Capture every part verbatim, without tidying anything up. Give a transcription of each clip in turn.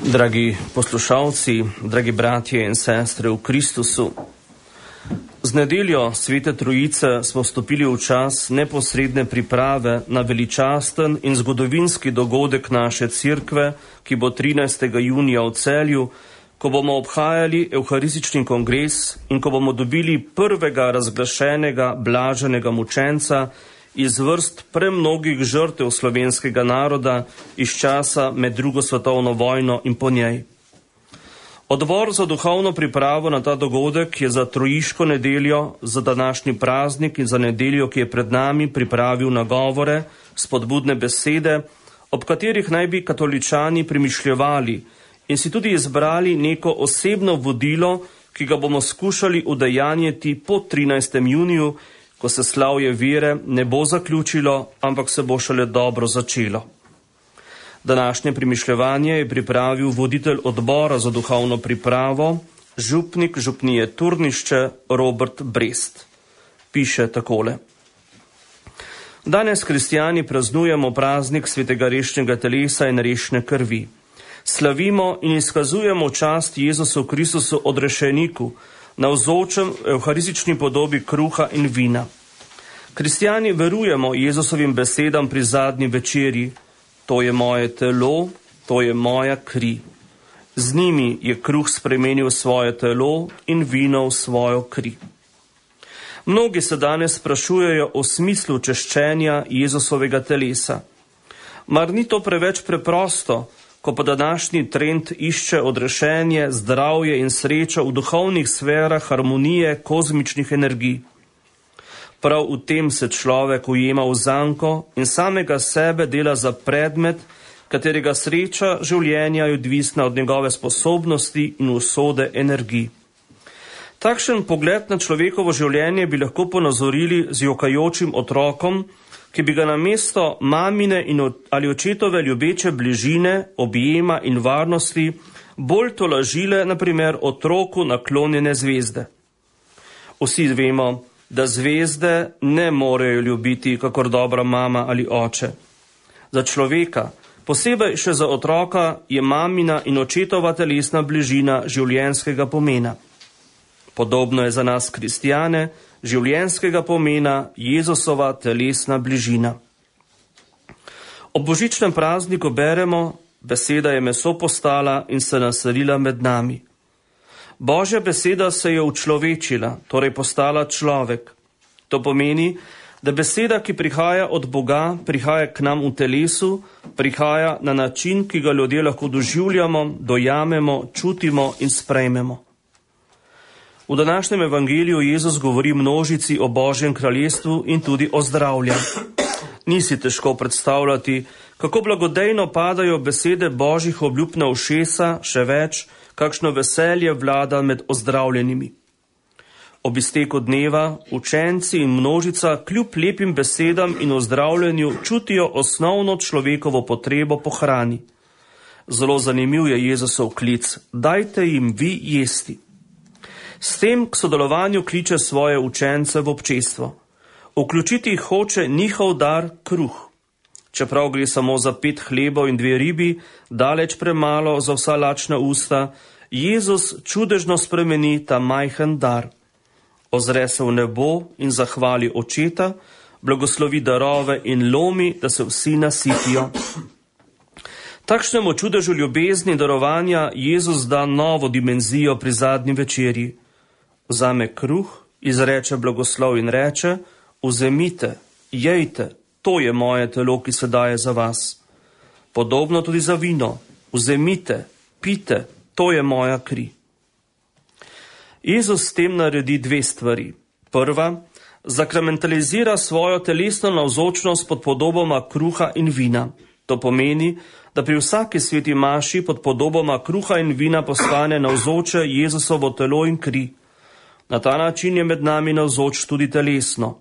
Dragi poslušalci, dragi bratje in sestre v Kristusu, z nedeljo Svete Trojice smo vstopili v čas neposredne priprave na veličasten in zgodovinski dogodek naše cerkve, ki bo trinajstega junija v Celju, ko bomo obhajali evharistični kongres in ko bomo dobili prvega razglašenega blaženega mučenca iz vrst premnogih žrtev slovenskega naroda iz časa med drugo svetovno vojno in po njej. Odbor za duhovno pripravo na ta dogodek je za trojiško nedeljo, za današnji praznik in za nedeljo, ki je pred nami, pripravil nagovore, spodbudne besede, ob katerih naj bi katoličani premišljevali in si tudi izbrali neko osebno vodilo, ki ga bomo skušali udejanjiti po trinajstem juniju, ko se slavje vere ne bo zaključilo, ampak se bo šele dobro začelo. Današnje premišljevanje je pripravil voditelj odbora za duhovno pripravo, župnik župnije Turnišče Robert Brest. Piše takole. Danes kristjani praznujemo praznik svetega rešnega telesa in rešne krvi. Slavimo in izkazujemo čast Jezusu Kristusu odrešeniku, navzočem evharistični podobi kruha in vina. Kristjani verujemo Jezusovim besedam pri zadnji večerji: to je moje telo, to je moja kri. Z njimi je kruh spremenil svoje telo in vino v svojo kri. Mnogi se danes sprašujejo o smislu češčenja Jezusovega telesa. Mar ni to preveč preprosto, ko pa današnji trend išče odrešenje, zdravje in srečo v duhovnih sferah harmonije kozmičnih energij? Prav v tem se človek ujema v zanko in samega sebe dela za predmet, katerega sreča življenja je odvisna od njegove sposobnosti in usode energij. Takšen pogled na človekovo življenje bi lahko ponazorili z jokajočim otrokom, ki bi ga namesto mamine in ali očetove ljubeče bližine, objema in varnosti bolj tolažile, na primer, otroku naklonjene zvezde. Vsi vemo, da zvezde ne morejo ljubiti kakor dobra mama ali oče. Za človeka, posebej še za otroka, je mamina in očetova telesna bližina življenjskega pomena. Podobno je za nas kristjane življenjskega pomena Jezusova telesna bližina. Ob božičnem prazniku beremo: beseda je meso postala in se naselila med nami. Božja beseda se je učlovečila, torej postala človek. To pomeni, da beseda, ki prihaja od Boga, prihaja k nam v telesu, prihaja na način, ki ga ljudje lahko doživljamo, dojamemo, čutimo in sprejmemo. V današnjem evangeliju Jezus govori množici o Božjem kraljestvu in tudi o zdravlja. Ni si težko predstavljati, kako blagodejno padajo besede Božjih obljub na ušesa, še več, kakšno veselje vlada med ozdravljenimi. Ob izteku dneva učenci in množica kljub lepim besedam in ozdravljenju čutijo osnovno človekovo potrebo po hrani. Zelo zanimiv je Jezusov klic: dajte jim vi jesti. S tem k sodelovanju kliče svoje učence v občestvo. Vključiti jih hoče njihov dar kruh. Čeprav gre samo za pet hlebov in dve ribi, daleč premalo za vsa lačna usta, Jezus čudežno spremeni ta majhen dar. Ozre se v nebo in zahvali očeta, blagoslovi darove in lomi, da se vsi nasitijo. Takšnemu čudežu ljubezni in darovanja Jezus da novo dimenzijo pri zadnji večerji. Vzame kruh, izreče blagoslov in reče: vzemite, jejte, to je moje telo, ki se daje za vas. Podobno tudi za vino: vzemite, pite, to je moja kri. Jezus s tem naredi dve stvari. Prva, zakramentalizira svojo telesno navzočnost pod podobama kruha in vina. To pomeni, da pri vsaki sveti maši pod podobama kruha in vina postane navzoče Jezusovo telo in kri. Na ta način je med nami navzoč tudi telesno.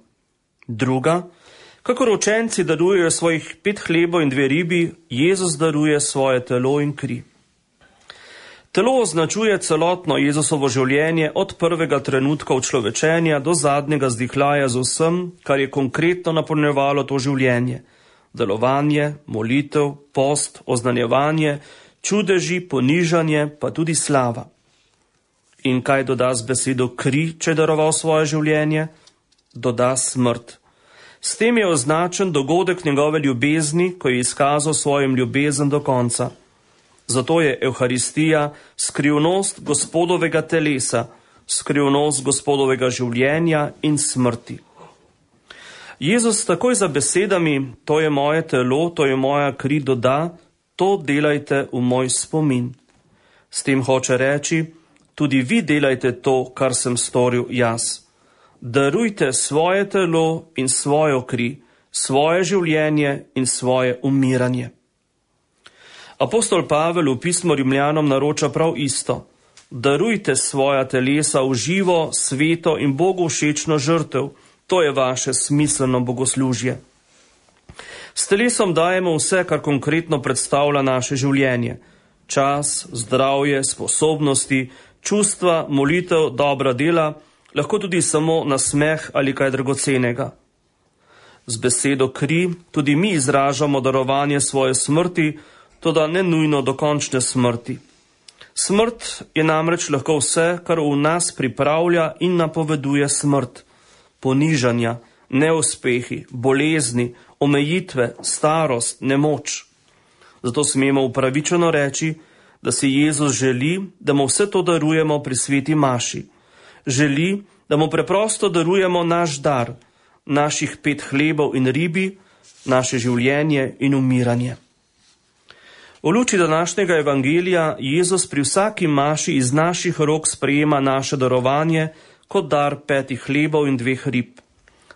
Druga, kakor učenci darujejo svojih pet hlebov in dve ribi, Jezus daruje svoje telo in kri. Telo označuje celotno Jezusovo življenje od prvega trenutka učlovečenja do zadnjega zdihljaja z vsem, kar je konkretno napolnjevalo to življenje. Delovanje, molitev, post, oznanjevanje, čudeži, ponižanje, pa tudi slava. In kaj doda z besedo kri, če je daroval svoje življenje? Doda smrt. S tem je označen dogodek njegove ljubezni, ko je izkazal svojim ljubezen do konca. Zato je Evharistija skrivnost Gospodovega telesa, skrivnost Gospodovega življenja in smrti. Jezus takoj za besedami, to je moje telo, to je moja kri, doda, to delajte v moj spomin. S tem hoče reči, tudi vi delajte to, kar sem storil jaz. Darujte svoje telo in svojo kri, svoje življenje in svoje umiranje. Apostol Pavel v pismu Rimljanom naroča prav isto. Darujte svoja telesa v živo, sveto in Bogu všečno žrtev. To je vaše smiselno bogoslužje. S telesom dajemo vse, kar konkretno predstavlja naše življenje. Čas, zdravje, sposobnosti, čustva, molitev, dobra dela, lahko tudi samo nasmeh ali kaj dragocenega. Z besedo kri tudi mi izražamo darovanje svoje smrti, toda ne nujno do končne smrti. Smrt je namreč lahko vse, kar v nas pripravlja in napoveduje smrt. Ponižanja, neuspehi, bolezni, omejitve, starost, nemoč. Zato smemo upravičeno reči, da si Jezus želi, da mu vse to darujemo pri sveti maši. Želi, da mu preprosto darujemo naš dar, naših pet hlebov in ribi, naše življenje in umiranje. V luči današnjega evangelija Jezus pri vsaki maši iz naših rok sprejema naše darovanje kot dar petih hlebov in dveh rib.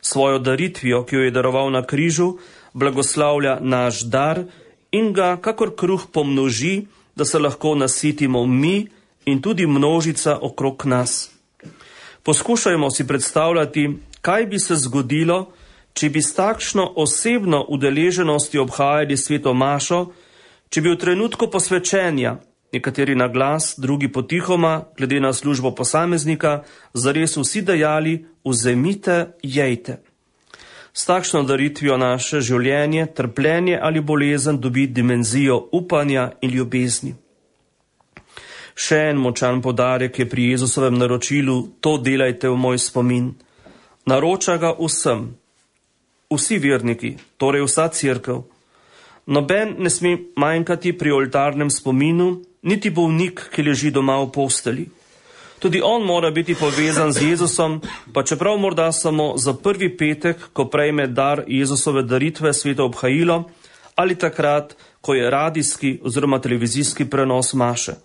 Svojo daritvijo, ki jo je daroval na križu, blagoslavlja naš dar in ga kakor kruh pomnoži, da se lahko nasitimo mi in tudi množica okrog nas. Poskušajmo si predstavljati, kaj bi se zgodilo, če bi s takšno osebno udeleženostjo obhajali sveto mašo, če bi v trenutku posvečenja, nekateri na glas, drugi potihoma, glede na službo posameznika, zares vsi dejali, vzemite, jejte. S takšno daritvijo naše življenje, trpljenje ali bolezen dobi dimenzijo upanja in ljubezni. Še en močan poudarek je pri Jezusovem naročilu, to delajte v moj spomin. Naroča ga vsem, vsi verniki, torej vsa cerkev. Noben ne sme manjkati pri oltarnem spominu, niti bolnik, ki leži doma v posteli. Tudi on mora biti povezan z Jezusom, pa čeprav morda samo za prvi petek, ko prejme dar Jezusove daritve sveto obhajilo, ali takrat, ko je radijski oziroma televizijski prenos maše.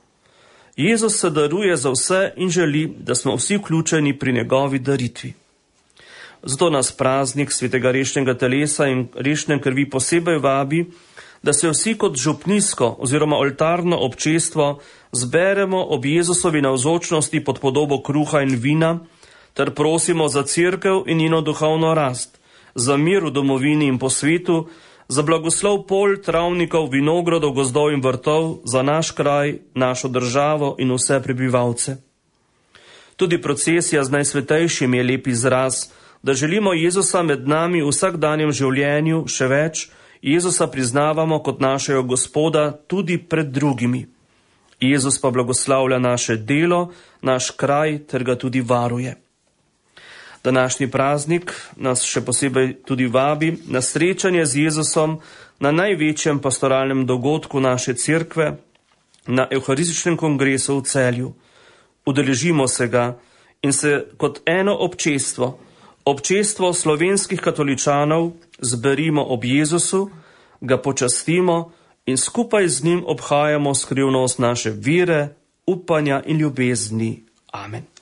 Jezus se daruje za vse in želi, da smo vsi vključeni pri njegovi daritvi. Zato nas praznik svetega rešnega telesa in rešne krvi posebej vabi, da se vsi kot župnijsko oziroma oltarno občestvo zberemo ob Jezusovi navzočnosti pod podobo kruha in vina, ter prosimo za cerkev in njeno duhovno rast, za mir v domovini in po svetu, za blagoslov pol, travnikov, vinogradov, gozdov in vrtov, za naš kraj, našo državo in vse prebivalce. Tudi procesija z najsvetejšim je lep izraz, da želimo Jezusa med nami v vsakdanjem življenju, še več, Jezusa priznavamo kot našega Gospoda tudi pred drugimi. Jezus pa blagoslavlja naše delo, naš kraj ter ga tudi varuje. Današnji praznik nas še posebej tudi vabi na srečanje z Jezusom na največjem pastoralnem dogodku naše cerkve, na Evharističnem kongresu v Celju. Udeležimo se ga in se kot eno občestvo, občestvo slovenskih katoličanov, zberimo ob Jezusu, ga počastimo in skupaj z njim obhajamo skrivnost naše vere, upanja in ljubezni. Amen.